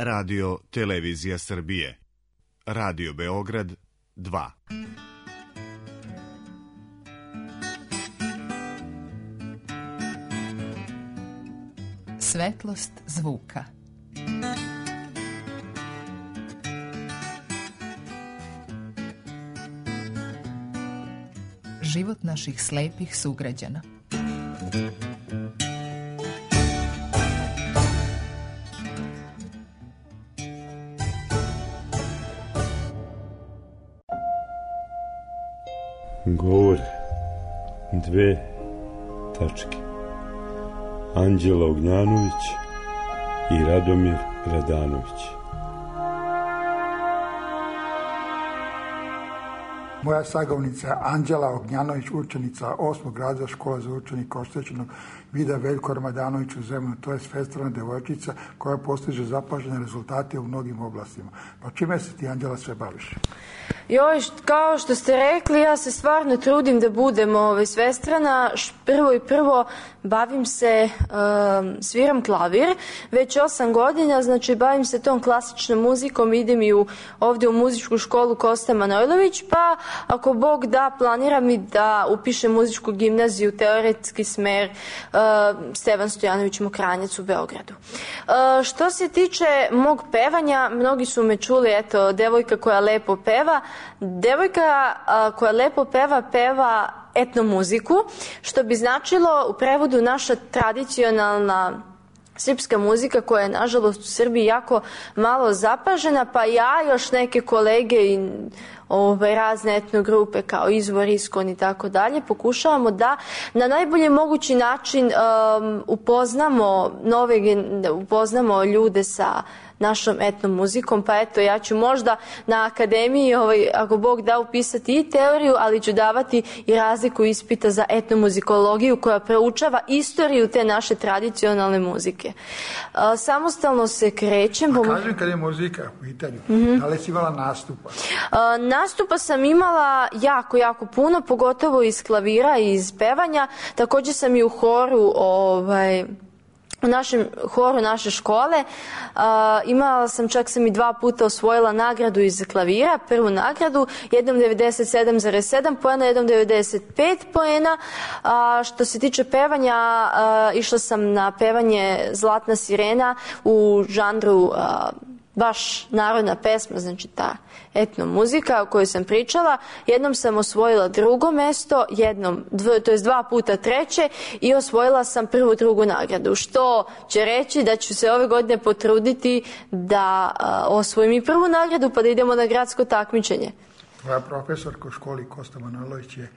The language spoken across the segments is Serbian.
Radio Televizija Srbije. Radio Beograd 2. Svetlost zvuka. Život naših slepih sugrađana. Govore dve tačke. Anđela Ognjanović i Radomir Radanović. Moja sagovnica Anđela Ognjanović, učenica 8. razreda škole za učenika oštećenog vida Veljko Ramadanović u Zemunu, to je svestrana devojčica koja postiže zapažene rezultate u mnogim oblastima. Pa čime se ti, Anđela, sve baviš? Joj, kao što ste rekli, ja se stvarno trudim da budem svestrana. Prvo bavim se, sviram klavir, već 8 godina, znači bavim se tom klasičnom muzikom, idem i ovdje u muzičku školu Kosta Manojlović, pa ako Bog da, planiram i da upišem muzičku gimnaziju, teoretski smer Stevan Stojanović Mokranjac u Beogradu. Što se tiče mog pevanja, mnogi su me čuli, eto, devojka koja lepo peva. Devojka koja lepo peva etnomuziku, što bi značilo u prevodu naša tradicionalna srpska muzika koja je nažalost u Srbiji jako malo zapažena, pa ja još neke kolege i razne etnogrupe kao Izvor, Iskon i tako dalje pokušavamo da na najbolji mogući način upoznamo ljude sa našom etnomuzikom, pa eto, ja ću možda na akademiji, ako Bog da, upisati i teoriju, ali ću davati i razliku ispita za etnomuzikologiju koja proučava istoriju te naše tradicionalne muzike. Samostalno se krećem. A kažem, kad je muzika u pitanju, da li si imala nastupa? Nastupa sam imala jako puno, pogotovo iz klavira i iz pevanja. Također sam i u horu, u našem horu naše škole. Imala sam, čak sam i 2 puta osvojila nagradu iz klavira, prvu nagradu, jednom 97,7 poena, jednom 95 poena. Što se tiče pevanja, išla sam na pevanje Zlatna sirena u žanru baš narodna pesma, znači ta etnomuzika o kojoj sam pričala. Jednom sam osvojila 2. mesto, to je 2 puta 3. i osvojila sam 1., 2. nagradu, što će reći da ću se ove godine potruditi da osvojim i 1. nagradu pa da idemo na gradsko takmičenje. Tvoja profesorka u školi Kosta Manojlović je?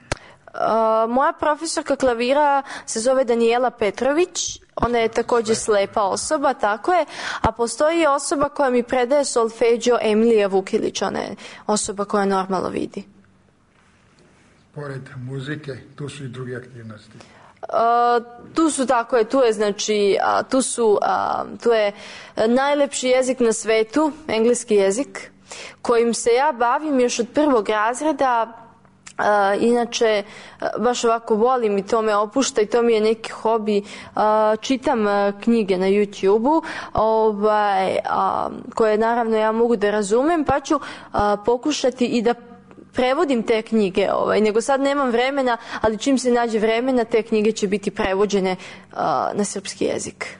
Moja profesorka klavira se zove Danijela Petrović. Ona je također slepa osoba, tako je, a postoji osoba koja mi predaje solfeđio, Emilija Vukilić, ona je osoba koja normalno vidi. Pored muzike, tu su i druge aktivnosti. Tu su, tako je, tu je najlepši jezik na svetu, engleski jezik, kojim se ja bavim još od 1. razreda. Inače, baš ovako volim i to me opušta i to mi je neki hobi. Čitam knjige na YouTube-u koje naravno ja mogu da razumem, pa ću pokušati i da prevodim te knjige, nego sad nemam vremena, ali čim se nađe vremena, te knjige će biti prevođene na srpski jezik.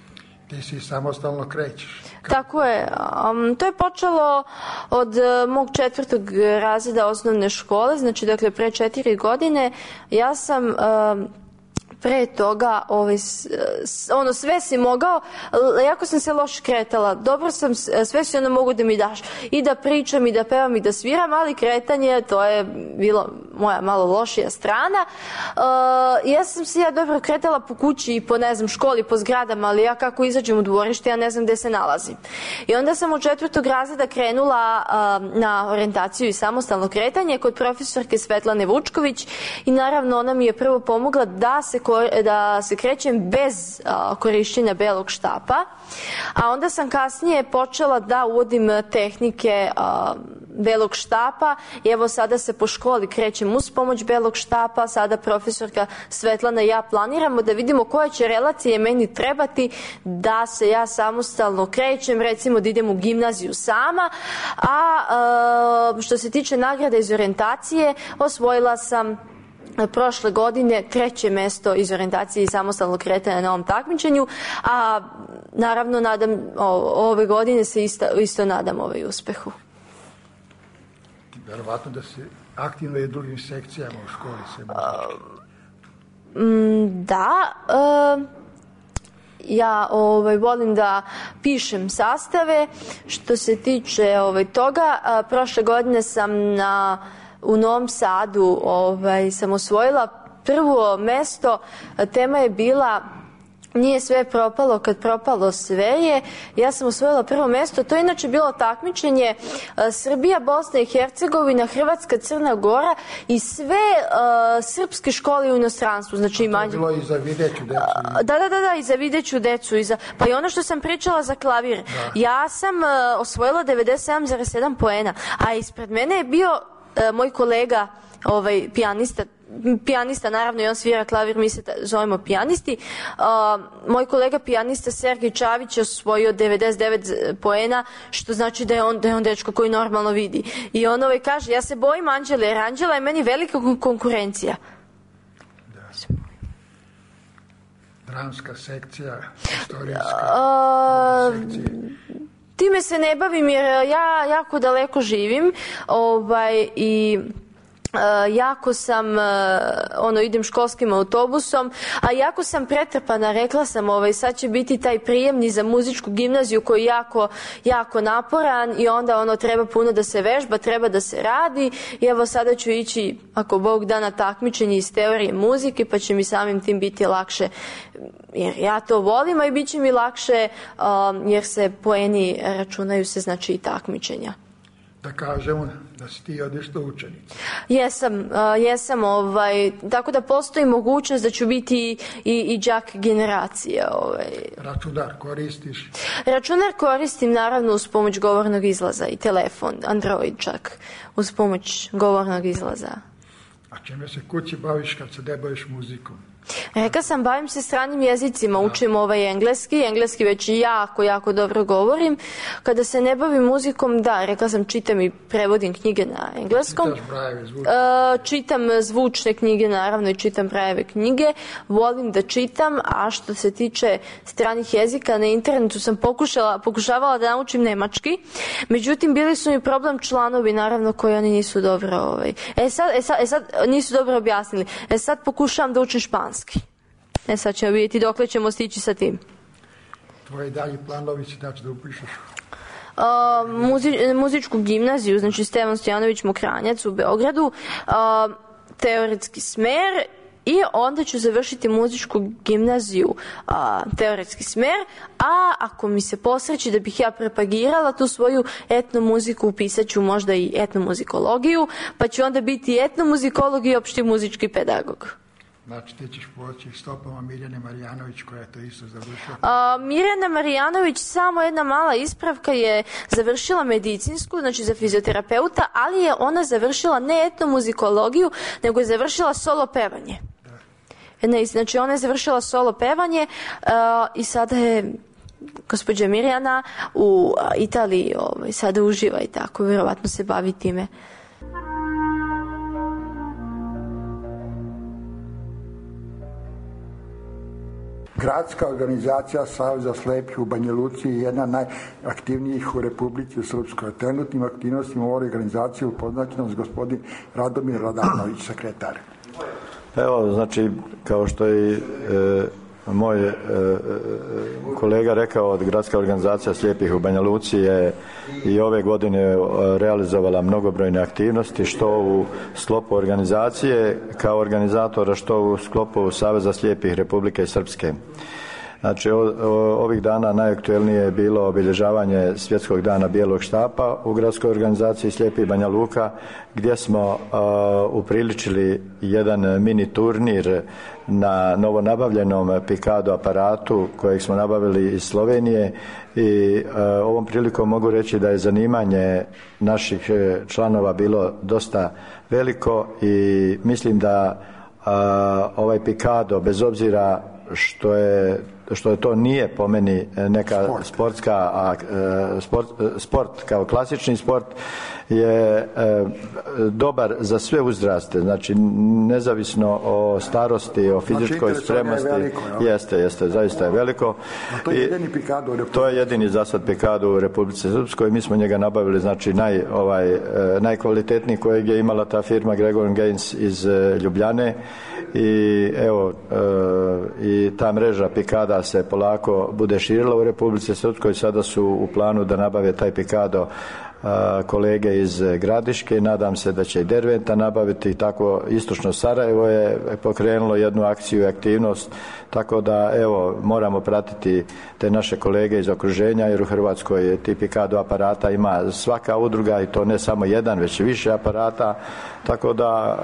Ti si samostalno krećeš. Tako je. To je počelo od mog 4. razreda osnovne škole, znači dakle pre 4 godine. Ja sam pre toga sve si mogao, jako sam se loše kretala, dobro sam, sve si mogu da mi daš i da pričam i da pevam i da sviram, ali kretanje, to je bilo moja malo lošija strana. Ja sam se dobro kretala po kući i po školi, po zgradama, ali ja kako izađem u dvorište, ja ne znam gde se nalazim. I onda sam od 4. razreda krenula na orijentaciju i samostalno kretanje kod profesorke Svetlane Vučković i naravno ona mi je prvo pomogla da se krećem bez korišćenja belog štapa, a onda sam kasnije počela da uvodim tehnike Belog štapa i evo sada se po školi krećem uz pomoć Belog štapa, sada profesorka Svetlana i ja planiramo da vidimo koje će relacije meni trebati da se ja samostalno krećem, recimo da idem u gimnaziju sama, a što se tiče nagrade iz orijentacije, osvojila sam prošle godine 3. mesto iz orijentacije i samostalnog kretanja na ovom takmičenju, a naravno ove godine se isto nadam uspehu. Verovatno da se aktivno i u drugim sekcijama u školi se Da, ja volim da pišem sastave. Što se tiče toga, prošle godine sam u Novom Sadu sam osvojila prvo mesto. Tema je bila Nije sve propalo kad propalo sve je. Ja sam osvojila prvo mesto. To je inače bilo takmičenje Srbija, Bosna i Hercegovina, Hrvatska, Crna Gora i sve srpske škole u inostranstvu. Znači, to je bilo i za videću decu. Da, i za videću decu. Pa i ono što sam pričala za klavir. Da. Ja sam osvojila 97,7 poena, a ispred mene je bio moj kolega, pijanista, naravno, i on svira klavir, mi se zovemo pijanisti. Moj kolega pijanista Sergej Čavić je osvojio 99 poena, što znači da je on dečko koji normalno vidi. I on kaže, ja se bojim Anđele, jer Anđela je meni velika konkurencija. Da. Dramska sekcija, istorijska sekcija. Time se ne bavim jer ja jako daleko živim i jako sam, idem školskim autobusom, a jako sam pretrpana, rekla sam, sad će biti taj prijemni za muzičku gimnaziju koji je jako naporan i onda treba puno da se vežba, treba da se radi i evo sada ću ići, ako Bog da, na takmičenje iz teorije muzike, pa će mi samim tim biti lakše, jer ja to volim, a i bit će mi lakše jer se poeni računaju se, znači, i takmičenja. Da kažemo da si ti odlična učenica. Jesam, tako da postoji mogućnost da ću biti i đak generacije. Računar koristiš? Računar koristim, naravno, uz pomoć govornog izlaza i telefon, Android čak, uz pomoć govornog izlaza. A čime se kući baviš kad se ne baviš muzikom? Rekla sam, bavim se stranim jezicima, učim engleski već jako dobro govorim. Kada se ne bavim muzikom, rekla sam, čitam i prevodim knjige na engleskom. Čitaš Brajeve zvučne? Čitam zvučne knjige, naravno, i čitam Brajeve knjige. Volim da čitam, a što se tiče stranih jezika, na internetu sam pokušavala da naučim nemački. Međutim, bili su mi problem članovi, naravno, koji oni nisu dobro sad nisu dobro objasnili. Sad pokušavam da učim španski. Sad ćemo vidjeti dokle ćemo stići sa tim. Tvoji dalji planovi će da upišeš? Muzičku gimnaziju, znači Stevan Stojanović Mokranjac u Beogradu, teoretski smer, i onda ću završiti muzičku gimnaziju, teoretski smer, a ako mi se posreći da bih ja propagirala tu svoju etnomuziku, upisat ću možda i etnomuzikologiju, pa ću onda biti etnomuzikolog i opšti muzički pedagog. Znači, ti ćeš poći stopama Mirjane Marijanović, koja je to isto završila? Mirjana Marijanović, samo jedna mala ispravka, je završila medicinsku, znači za fizioterapeuta, ali je ona završila ne etnomuzikologiju, nego je završila solo pevanje. Znači, ona je završila solo pevanje i sada je gospođa Mirjana u Italiji, sada uživa i tako, vjerovatno se bavi time. Gradska organizacija Saveza slepih u Banja Luci je jedna najaktivnijih u Republici Srpskoj. Trenutnim aktivnostima u ovoj organizaciji upoznaćen s gospodin Radomir Radanović, sekretar. Evo, znači, kao što je moj kolega rekao, od Gradska organizacija slijepih u Banja Luci je i ove godine realizovala mnogobrojne aktivnosti, što u sklopu organizacije kao organizatora, što u sklopu Saveza slijepih Republike Srpske. Znači, ovih dana najaktuelnije je bilo obilježavanje Svjetskog dana bijelog štapa u gradskoj organizaciji Slijepih Banja Luka, gdje smo upriličili jedan mini turnir na novonabavljenom Pikado aparatu kojeg smo nabavili iz Slovenije i ovom prilikom mogu reći da je zanimanje naših članova bilo dosta veliko i mislim da ovaj Pikado, bez obzira što to nije po meni neka sport kao klasični sport, je dobar za sve uzraste, znači nezavisno o starosti, o fizičkoj spremnosti. Jeste, zaista je veliko. A to je jedini Pikado u Republici? To je jedini za sad Pikado u Republici Srpskoj. Mi smo njega nabavili, znači najkvalitetniji kojeg je imala ta firma Gregor Gaines iz Ljubljane i evo i ta mreža Pikada se polako bude širila u Republici Srpskoj. Sada su u planu da nabave taj Pikado kolege iz Gradiške, nadam se da će i Derventa nabaviti, tako istočno Sarajevo je pokrenulo jednu akciju i aktivnost, tako da evo moramo pratiti te naše kolege iz okruženja, jer u Hrvatskoj ti Pikado aparata ima svaka udruga i to ne samo jedan, već i više aparata, tako da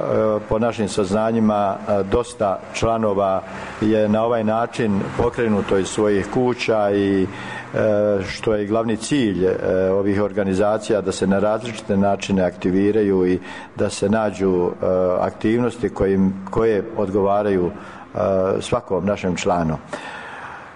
po našim saznanjima dosta članova je na ovaj način pokrenuto iz svojih kuća i što je i glavni cilj ovih organizacija, da se na različite načine aktiviraju i da se nađu aktivnosti koje odgovaraju svakom našem članu.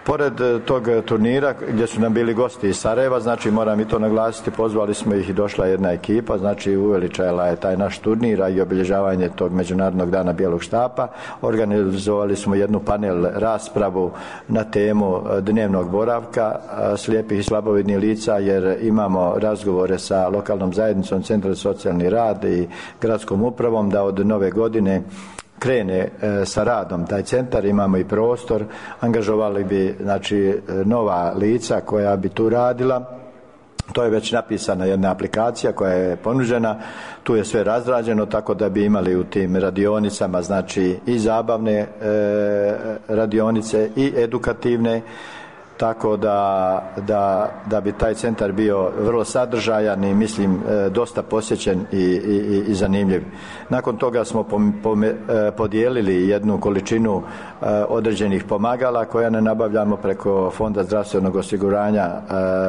Pored tog turnira gdje su nam bili gosti iz Sarajeva, znači moram i to naglasiti, pozvali smo ih i došla jedna ekipa, znači uveličala je taj naš turnir i obilježavanje tog Međunarodnog dana bijelog štapa. Organizovali smo jednu panel raspravu na temu dnevnog boravka slijepih i slabovidnih lica, jer imamo razgovore sa lokalnom zajednicom, Centrom za socijalni rad i gradskom upravom da od nove godine krene sa radom taj centar, imamo i prostor, angažovali bi znači nova lica koja bi tu radila. To je već napisana jedna aplikacija koja je ponuđena, tu je sve razrađeno tako da bi imali u tim radionicama znači i zabavne radionice i edukativne, tako da bi taj centar bio vrlo sadržajan i mislim dosta posjećen i zanimljiv. Nakon toga smo podijelili jednu količinu određenih pomagala koja ne nabavljamo preko Fonda zdravstvenog osiguranja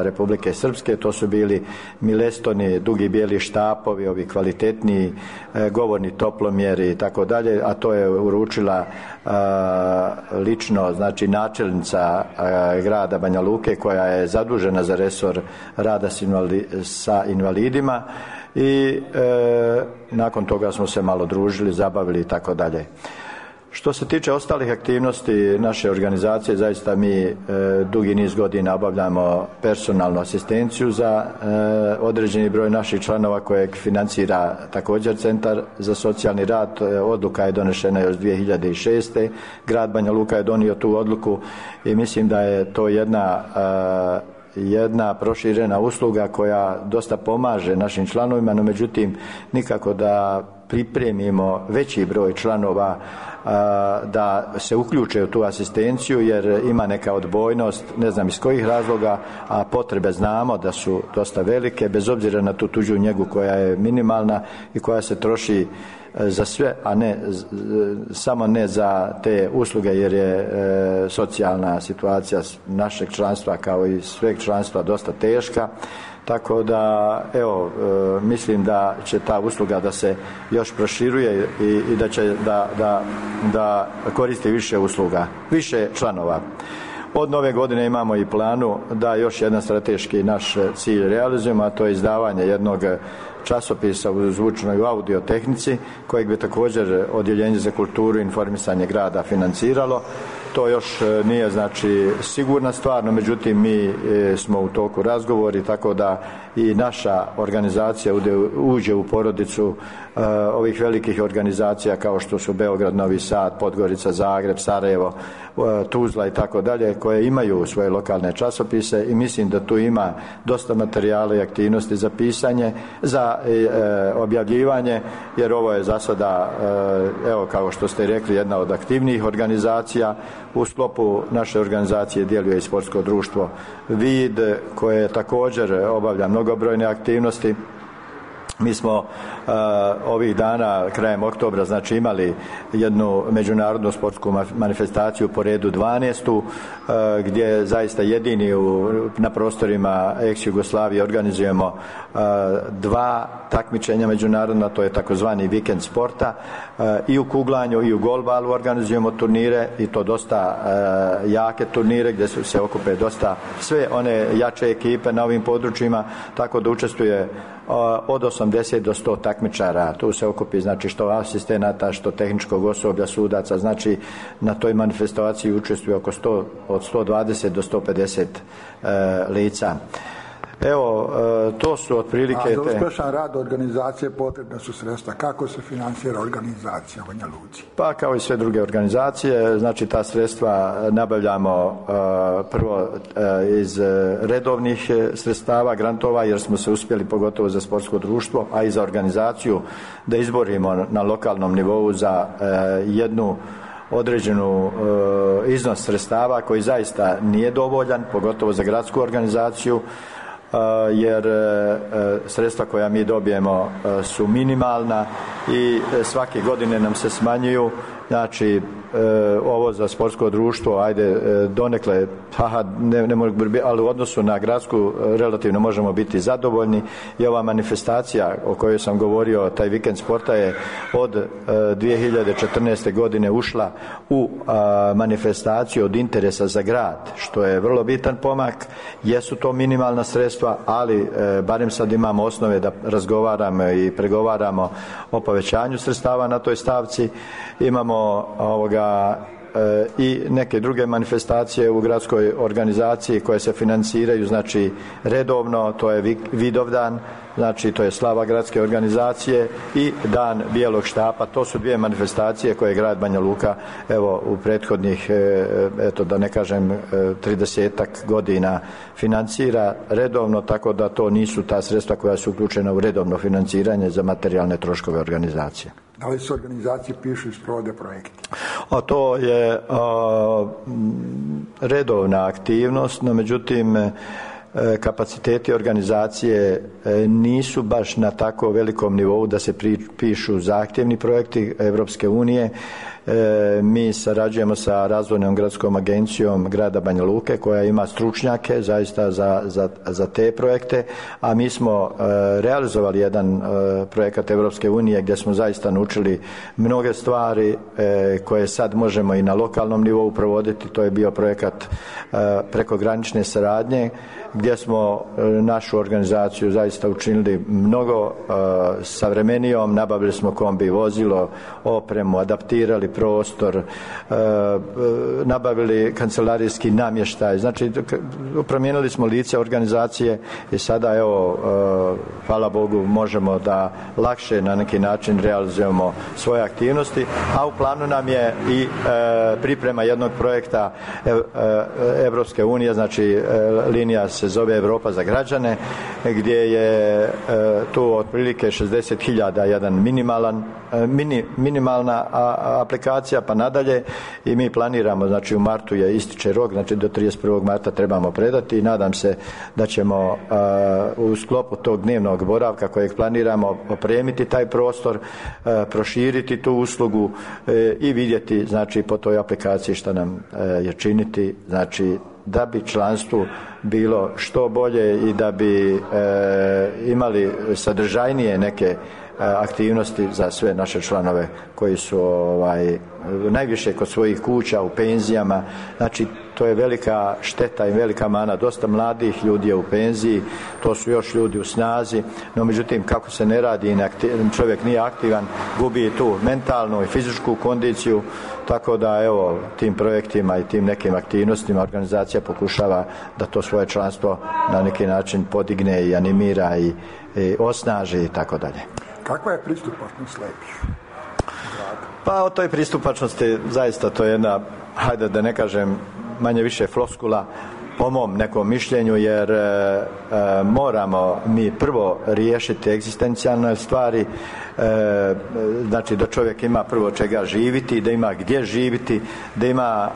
Republike Srpske. To su bili milestoni, dugi bijeli štapovi, ovi kvalitetniji govorni toplomjeri i tako dalje, a to je uručila lično znači načelnica grada Banja Luke koja je zadužena za resor rada sa invalidima i nakon toga smo se malo družili, zabavili i tako dalje. Što se tiče ostalih aktivnosti naše organizacije, zaista mi dugi niz godina obavljamo personalnu asistenciju za određeni broj naših članova kojeg financira također Centar za socijalni rad. Odluka je donešena još 2006. Grad Banja Luka je donio tu odluku i mislim da je to jedna proširena usluga koja dosta pomaže našim članovima, no međutim nikako da pripremimo veći broj članova da se uključe u tu asistenciju, jer ima neka odbojnost, ne znam iz kojih razloga, a potrebe znamo da su dosta velike, bez obzira na tu tuđu njegu koja je minimalna i koja se troši za sve, a samo ne za te usluge, jer je socijalna situacija našeg članstva kao i sveg članstva dosta teška. Tako da, evo, mislim da će ta usluga da se još proširuje i da će da koristi više usluga, više članova. Od nove godine imamo i planu da još jedan strateški naš cilj realizujemo, a to je izdavanje jednog časopisa u zvučnoj i audio tehnici, kojeg bi također Odjeljenje za kulturu i informisanje grada financiralo. To još nije znači sigurna stvar, no međutim mi smo u toku razgovori, tako da i naša organizacija uđe u porodicu ovih velikih organizacija kao što su Beograd, Novi Sad, Podgorica, Zagreb, Sarajevo, Tuzla i tako dalje, koje imaju svoje lokalne časopise i mislim da tu ima dosta materijala i aktivnosti za pisanje, za objavljivanje, jer ovo je za sada, evo kao što ste rekli, jedna od aktivnijih organizacija U sklopu naše organizacije djeluje i sportsko društvo Vid, koje također obavlja mnogobrojne aktivnosti. Mi smo ovih dana, krajem oktobra, znači imali jednu međunarodnu sportsku manifestaciju po redu 12. Gdje zaista jedini na prostorima ex-Jugoslavije organizujemo 2 takmičenja međunarodna, to je takozvani vikend sporta. I u kuglanju i u golbalu organizujemo turnire i to dosta jake turnire gdje se okupe dosta sve one jače ekipe na ovim područjima, tako da učestvuje od 80 do 100 takmičara. Tu se okupi znači što asistenata, što tehničkog osoblja, sudaca, znači na toj manifestaciji učestvuje oko 100, od 120 do 150 lica. Evo, to su otprilike... A za uspješan rad organizacije potrebna su sredstva. Kako se financira organizacija u Banja Luci? Pa kao i sve druge organizacije, znači ta sredstva nabavljamo prvo iz redovnih sredstava, grantova, jer smo se uspjeli, pogotovo za sportsko društvo, a i za organizaciju, da izborimo na lokalnom nivou za jednu određenu iznos sredstava koji zaista nije dovoljan, pogotovo za gradsku organizaciju, jer sredstva koja mi dobijemo su minimalna i svake godine nam se smanjuju. Znači ovo za sportsko društvo, ajde donekle, ne mogu, ali u odnosu na gradsku relativno možemo biti zadovoljni. I ova manifestacija o kojoj sam govorio, taj vikend sporta, je od 2014. godine ušla u manifestaciju od interesa za grad, što je vrlo bitan pomak. Jesu to minimalna sredstva, ali barem sad imamo osnove da razgovaramo i pregovaramo o povećanju sredstava na toj stavci. Imamo i neke druge manifestacije u gradskoj organizaciji koje se financiraju, znači redovno, to je Vidovdan, znači to je slava gradske organizacije, i Dan bijelog štapa. To su 2 manifestacije koje grad Banja Luka evo u prethodnih, eto da ne kažem 30-ak godina financira redovno, tako da to nisu ta sredstva koja su uključena u redovno financiranje za materijalne troškove organizacije. Da li se organizacije pišu i sprovode projekti? A to je redovna aktivnost, no međutim kapaciteti organizacije nisu baš na tako velikom nivou da se pišu zahtjevni projekti Europske unije. Mi sarađujemo sa Razvojnom gradskom agencijom grada Banja Luke, koja ima stručnjake zaista za te projekte, a mi smo realizovali jedan projekat Europske unije gdje smo zaista naučili mnoge stvari koje sad možemo i na lokalnom nivou provoditi. To je bio projekat prekogranične saradnje, gdje smo našu organizaciju zaista učinili mnogo savremenijom. Nabavili smo kombi vozilo, opremu, adaptirali prostor, nabavili kancelarijski namještaj, znači promijenili smo lice organizacije i sada evo, hvala Bogu, možemo da lakše na neki način realizujemo svoje aktivnosti, a u planu nam je i priprema jednog projekta Evropske unije, znači linija se zove Europa za građane, gdje je tu otprilike 60.000 jedan minimalna aplikacija pa nadalje, i mi planiramo, znači u martu je ističe rok, znači do 31. marta trebamo predati, i nadam se da ćemo u sklopu tog dnevnog boravka kojeg planiramo opremiti taj prostor, proširiti tu uslugu i vidjeti, znači po toj aplikaciji šta nam je činiti, znači da bi članstvu bilo što bolje i da bi imali sadržajnije neke aktivnosti za sve naše članove koji su najviše kod svojih kuća, u penzijama. Znači to je velika šteta i velika mana. Dosta mladih ljudi je u penziji, to su još ljudi u snazi, no međutim kako se ne radi, čovjek nije aktivan, gubi i tu mentalnu i fizičku kondiciju, tako da evo tim projektima i tim nekim aktivnostima organizacija pokušava da to svoje članstvo na neki način podigne i animira i osnaži i tako dalje. Kakva je pristupačnost slijepih? Pa o toj pristupačnosti zaista to je jedna, hajde da ne kažem manje više floskula, po mom nekom mišljenju, jer moramo mi prvo riješiti egzistencijalne stvari, znači da čovjek ima prvo čega živiti, da ima gdje živiti, da ima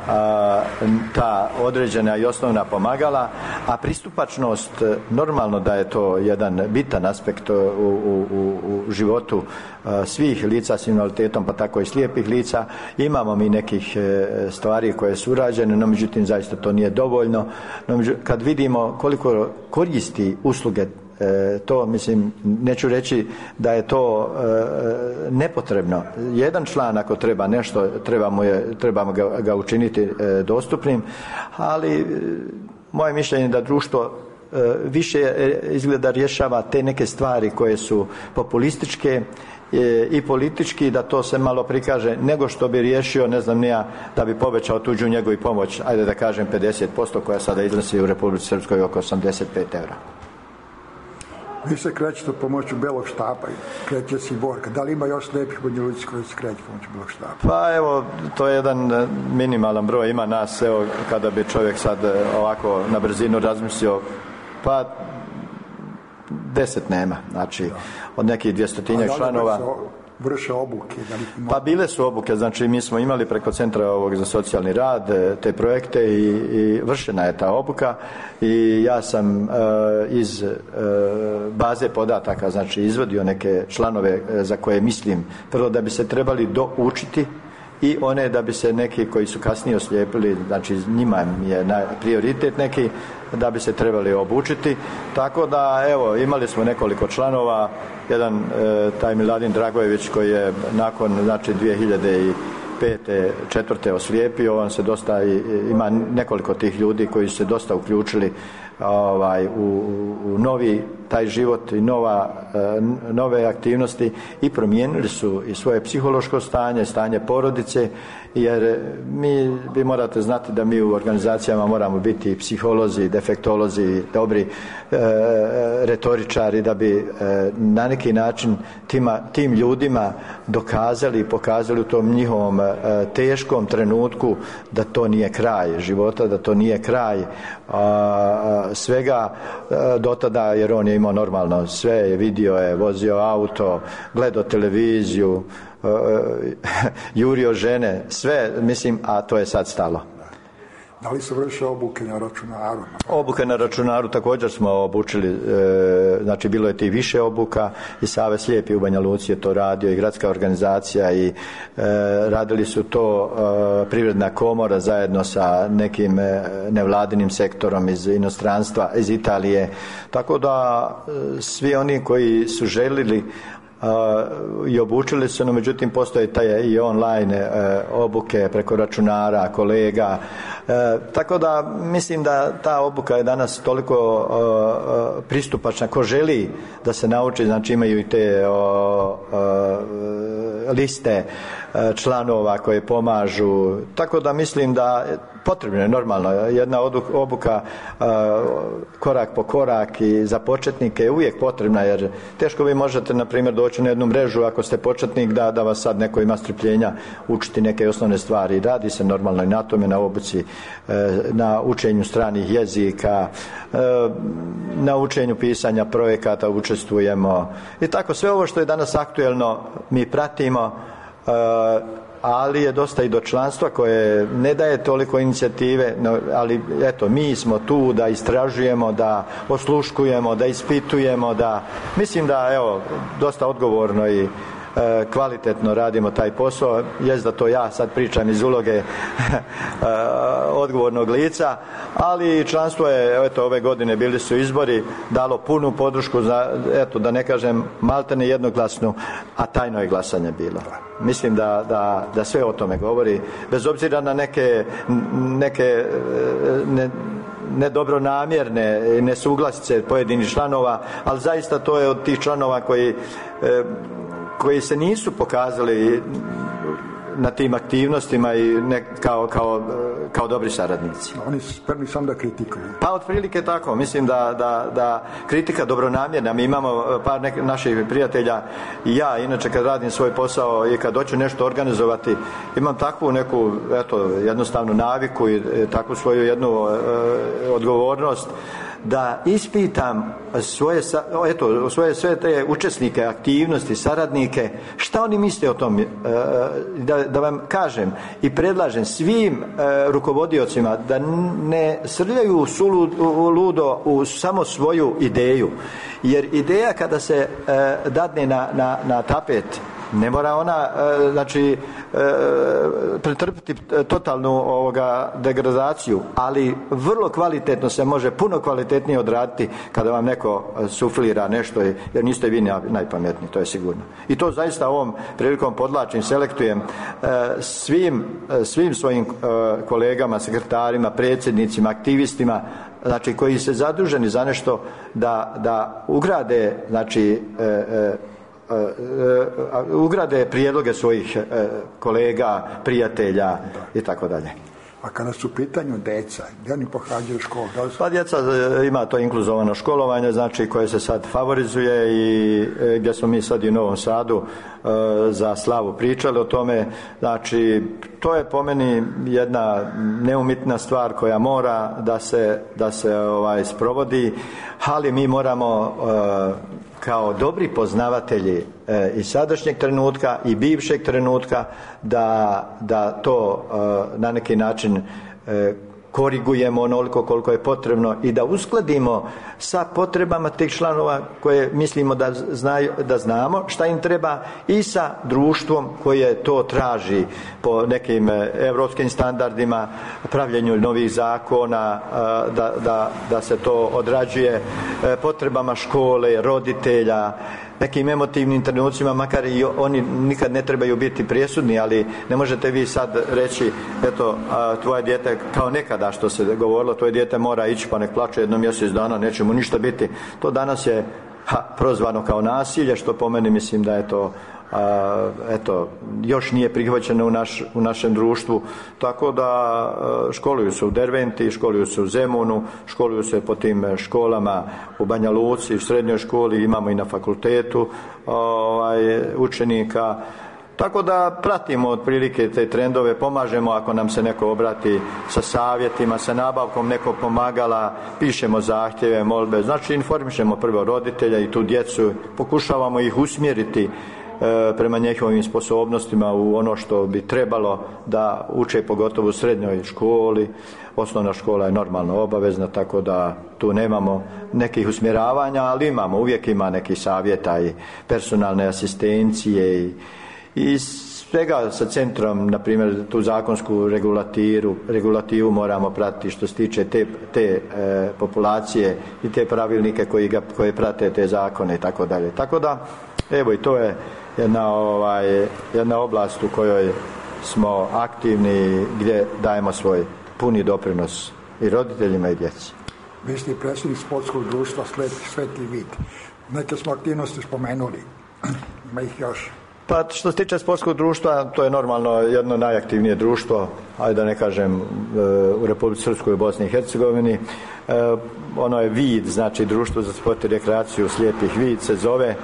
ta određena i osnovna pomagala, a pristupačnost, normalno da je to jedan bitan aspekt u životu svih lica s invaliditetom, pa tako i slijepih lica. Imamo mi nekih stvari koje su urađene, no međutim zaista to nije dovoljno. Kad vidimo koliko koristi usluge, to mislim, neću reći da je to nepotrebno. Jedan član ako treba nešto, trebamo ga učiniti dostupnim, ali moje mišljenje je da društvo više izgleda rješava te neke stvari koje su populističke i politički, da to se malo prikaže, nego što bi riješio, ne znam nija, da bi povećao tuđu njegu i pomoć, ajde da kažem 50%, koja sada iznosi u Republici Srpskoj oko 85 €. Vi se krećete pomoću Belog štapa, kreće se i Borka. Da li ima još slijepih Banja Luci koji se kreće pomoću Belog štapa? Pa evo, to je jedan minimalan broj. Ima nas, evo, kada bi čovjek sad ovako na brzinu razmislio, pa 10 nema, znači od nekih 200-tinjak članova. Vrše obuke? Pa bile su obuke, znači mi smo imali preko Centra za socijalni rad te projekte i vršena je ta obuka i ja sam iz baze podataka, znači izvadio neke članove za koje mislim prvo da bi se trebali doučiti i one da bi se neki koji su kasnije oslijepili, znači njima je prioritet neki, da bi se trebali obučiti. Tako da evo, imali smo nekoliko članova, jedan taj Miladin Dragojević koji je nakon znači 2005. 4. oslijepio, on se dosta ima nekoliko tih ljudi koji su se dosta uključili u novi taj život i nove aktivnosti i promijenili su i svoje psihološko stanje porodice, jer vi morate znati da mi u organizacijama moramo biti psiholozi, defektolozi, dobri retoričari, da bi na neki način tim ljudima dokazali i pokazali u tom njihovom teškom trenutku da to nije kraj života, da to nije kraj svega do tada, jer on je imao normalno sve, je vidio, je vozio auto, gledao televiziju, jurio žene, sve, mislim, a to je sad stalo. Da li se vrše obuke na računaru? Obuke na računaru također smo obučili, znači bilo je ti više obuka i Savez slijepih u Banja Luci je to radio i gradska organizacija i radili su to Privredna komora zajedno sa nekim nevladinim sektorom iz inostranstva, iz Italije, tako da svi oni koji su želili i obučili su, no međutim postoje i online obuke preko računara, kolega, tako da mislim da ta obuka je danas toliko pristupačna. Ko želi da se nauči, znači imaju i te liste članova koje pomažu, tako da mislim da potrebno je normalno jedna obuka korak po korak i za početnike je uvijek potrebna, jer teško vi možete na primjer doći na jednu mrežu ako ste početnik da vas sad neko ima strpljenja učiti neke osnovne stvari. Radi se normalno i na tome, na obuci, na učenju stranih jezika, na učenju pisanja projekata učestvujemo i tako sve ovo što je danas aktuelno mi pratimo, ali je dosta i do članstva koje ne daje toliko inicijative, ali eto, mi smo tu da istražujemo, da osluškujemo, da ispitujemo, da mislim da evo dosta odgovorno i kvalitetno radimo taj posao. Jest da to ja sad pričam iz uloge odgovornog lica, ali članstvo je, eto, ove godine bili su izbori, dalo punu podršku za, eto, da ne kažem maltene jednoglasnu, a tajno je glasanje bilo. Mislim da sve o tome govori, bez obzira na neke nedobronamjerne nesuglasice pojedinih članova, ali zaista to je od tih članova koji se nisu pokazali na tim aktivnostima i kao dobri saradnici. Oni su spremni samo da kritikuju. Pa otprilike tako, mislim da kritika dobronamjerna. Mi imamo par naših prijatelja i ja, inače kad radim svoj posao i kad hoću nešto organizovati, imam takvu neku, jednostavnu naviku i takvu svoju jednu odgovornost da ispitam svoje sve te učesnike, aktivnosti, saradnike, šta oni misle o tom, da vam kažem i predlažem svim rukovodiocima da ne srljaju ludo u samo svoju ideju, jer ideja kada se dadne na tapet, ne mora ona pretrpiti totalnu degradazaciju, ali vrlo kvalitetno se može, puno kvalitetnije odraditi kada vam neko suflira nešto, jer niste vi najpametniji, to je sigurno. I to zaista ovom prilikom podlačim, selektujem svim svojim kolegama, sekretarima, predsjednicima, aktivistima, znači koji su zaduženi za nešto da ugrade, ugrade prijedloge svojih kolega, prijatelja i tako dalje. A kada su u pitanju deca, gdje oni pohađaju školu? Pa djeca ima to inkluzovano školovanje, znači koje se sad favorizuje i gdje smo mi sad i u Novom Sadu za slavu pričali o tome. Znači to je po meni jedna neumitna stvar koja mora da se sprovodi, ali mi moramo kao dobri poznavatelji i sadašnjeg trenutka i bivšeg trenutka da to na neki način korigujemo onoliko koliko je potrebno i da uskladimo sa potrebama tih članova koje mislimo da znamo šta im treba i sa društvom koje to traži po nekim europskim standardima, pravljenju novih zakona, da se to odrađuje potrebama škole, roditelja, nekim emotivnim trenucima, makar i oni nikad ne trebaju biti presudni, ali ne možete vi sad reći, eto, tvoje dijete, kao nekada što se govorilo, tvoje dijete mora ići pa nek plače jedno mjesec dana, neće mu ništa biti. To danas je prozvano kao nasilje, što po meni mislim da je to još nije prihvaćeno u našem društvu, tako da školuju se u Derventi, školuju se u Zemunu, školuju se po tim školama u Banja Luci, u srednjoj školi, imamo i na fakultetu učenika, tako da pratimo otprilike te trendove, pomažemo ako nam se neko obrati sa savjetima, sa nabavkom nekog pomagala, pišemo zahtjeve, molbe, znači informišemo prvo roditelja i tu djecu, pokušavamo ih usmjeriti prema njihovim sposobnostima u ono što bi trebalo da uče, pogotovo u srednjoj školi. Osnovna škola je normalno obavezna, tako da tu nemamo nekih usmjeravanja, ali uvijek ima nekih savjeta i personalne asistencije i svega sa centrom, na primjer tu zakonsku regulativu moramo pratiti što se tiče te populacije i te pravilnike koje prate te zakone i tako dalje. Tako da, evo, i to je jedna oblast u kojoj smo aktivni, gdje dajemo svoj puni doprinos i roditeljima i djeci. Vi ste predsjednik sportskog društva Svetli vid. Neke smo aktivnosti spomenuli. Ima ih još. Pa što se tiče sportskog društva, to je normalno jedno najaktivnije društvo, ajde da ne kažem u Republici Srpskoj i Bosni i Hercegovini. Ono je vid, znači Društvo za sport i rekreaciju slijepih vid se zove.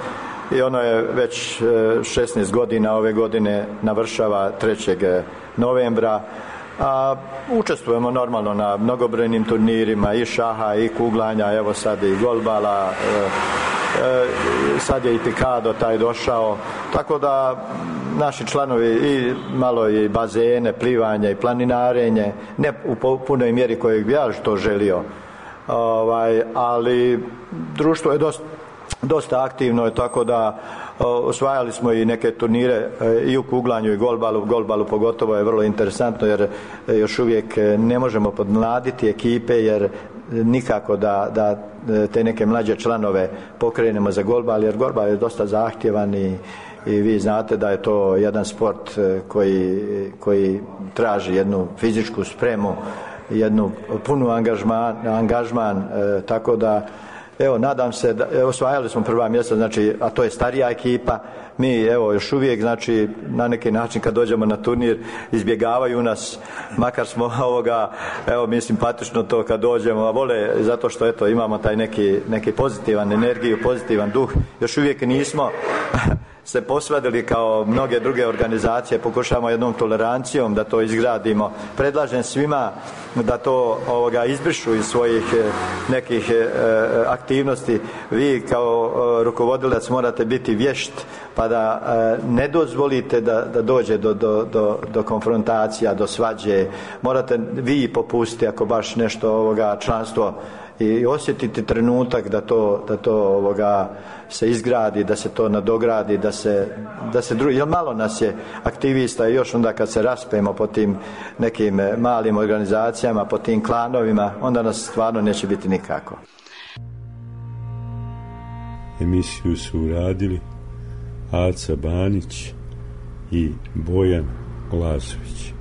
I ono je već 16 godina, ove godine navršava 3. novembra. Učestvujemo normalno na mnogobrojnim turnirima i šaha i kuglanja, evo sad i golbala, sad je i pikado taj došao, tako da naši članovi i malo i bazene, plivanje i planinarenje, ne u punoj mjeri kojeg bi ja to želio, ali društvo je dosta aktivno je, tako da osvajali smo i neke turnire i u kuglanju i golbalu pogotovo je vrlo interesantno, jer još uvijek ne možemo podmladiti ekipe, jer nikako da te neke mlađe članove pokrenemo za golbal, jer golbal je dosta zahtjevan i vi znate da je to jedan sport koji traži jednu fizičku spremu, jednu punu angažman, tako da evo, nadam se da osvajali smo prva mjesta, znači, a to je starija ekipa. Mi, evo, još uvijek, znači, na neki način kad dođemo na turnir, izbjegavaju nas, makar smo evo, mi simpatično to kad dođemo, a vole, zato što, eto, imamo taj neki pozitivan energiju, pozitivan duh. Još uvijek nismo se posvadili kao mnoge druge organizacije, pokušamo jednom tolerancijom da to izgradimo. Predlažem svima da to izbrišu iz svojih nekih aktivnosti. Vi kao rukovodilac morate biti vješt, pa da ne dozvolite da dođe do konfrontacija, do svađe. Morate vi popustiti ako baš nešto članstvo i osjetiti trenutak da to se izgradi, da se to nadogradi, da se jer malo nas je aktivista i još onda kad se raspemo po tim nekim malim organizacijama, po tim klanovima, onda nas stvarno neće biti nikako. Emisiju su uradili Aca Banić i Bojan Glasović.